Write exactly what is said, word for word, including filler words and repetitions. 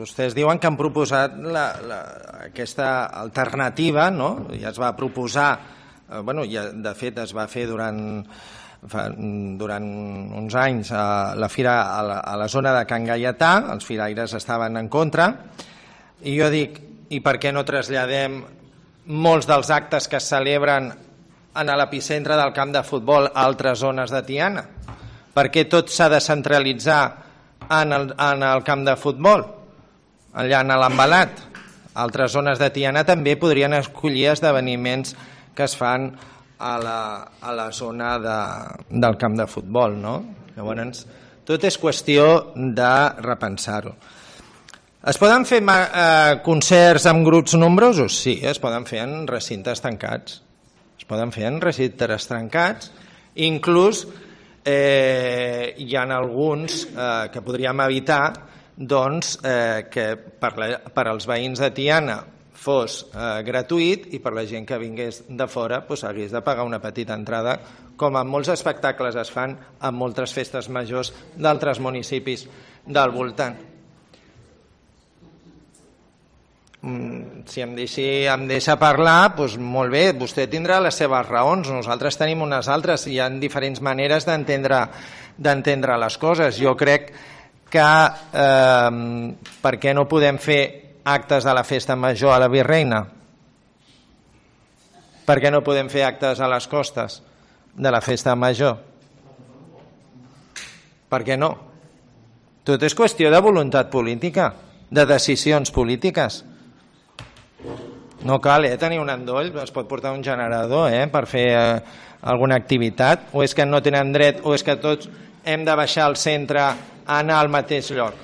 Vostès diuen que han proposat la, la, aquesta alternativa, no? Ja es va proposar, eh, bueno, ja, de fet es va fer durant, fa, durant uns anys a la fira a la, a la zona de Can Gaietà, els firaires estaven en contra, i jo dic, i per què no traslladem molts dels actes que es celebren en l'epicentre del camp de futbol a altres zones de Tiana? Per què tot s'ha de centralitzar en el, en el camp de futbol? Allà en l'Embalat, altres zones de Tiana també podrien escollir esdeveniments que es fan a la, a la zona de, del camp de futbol, no? Llavors, tot és qüestió de repensar-ho. Es poden fer eh, concerts amb grups nombrosos? Sí, es poden fer en recintes tancats. Es poden fer en recintes tancats. Inclús eh, hi ha alguns eh, que podríem evitar doncs, eh, que per, la, per als veïns de Tiana fos eh, gratuït i per la gent que vingués de fora doncs, hagués de pagar una petita entrada, com en molts espectacles es fan en moltes festes majors d'altres municipis del voltant. Mm, si em deixi, em deixa parlar, doncs molt bé, vostè tindrà les seves raons, nosaltres tenim unes altres, hi ha diferents maneres d'entendre d'entendre les coses. Jo crec que eh, per què no podem fer actes de la festa major a la Virreina? Per què no podem fer actes a les costes de la festa major? Per què no? Tot és qüestió de voluntat política, de decisions polítiques. No cal eh, tenir un endoll, es pot portar un generador eh, per fer eh, alguna activitat, o és que no tenen dret, o és que tots hem de baixar al centre a anar al mateix lloc.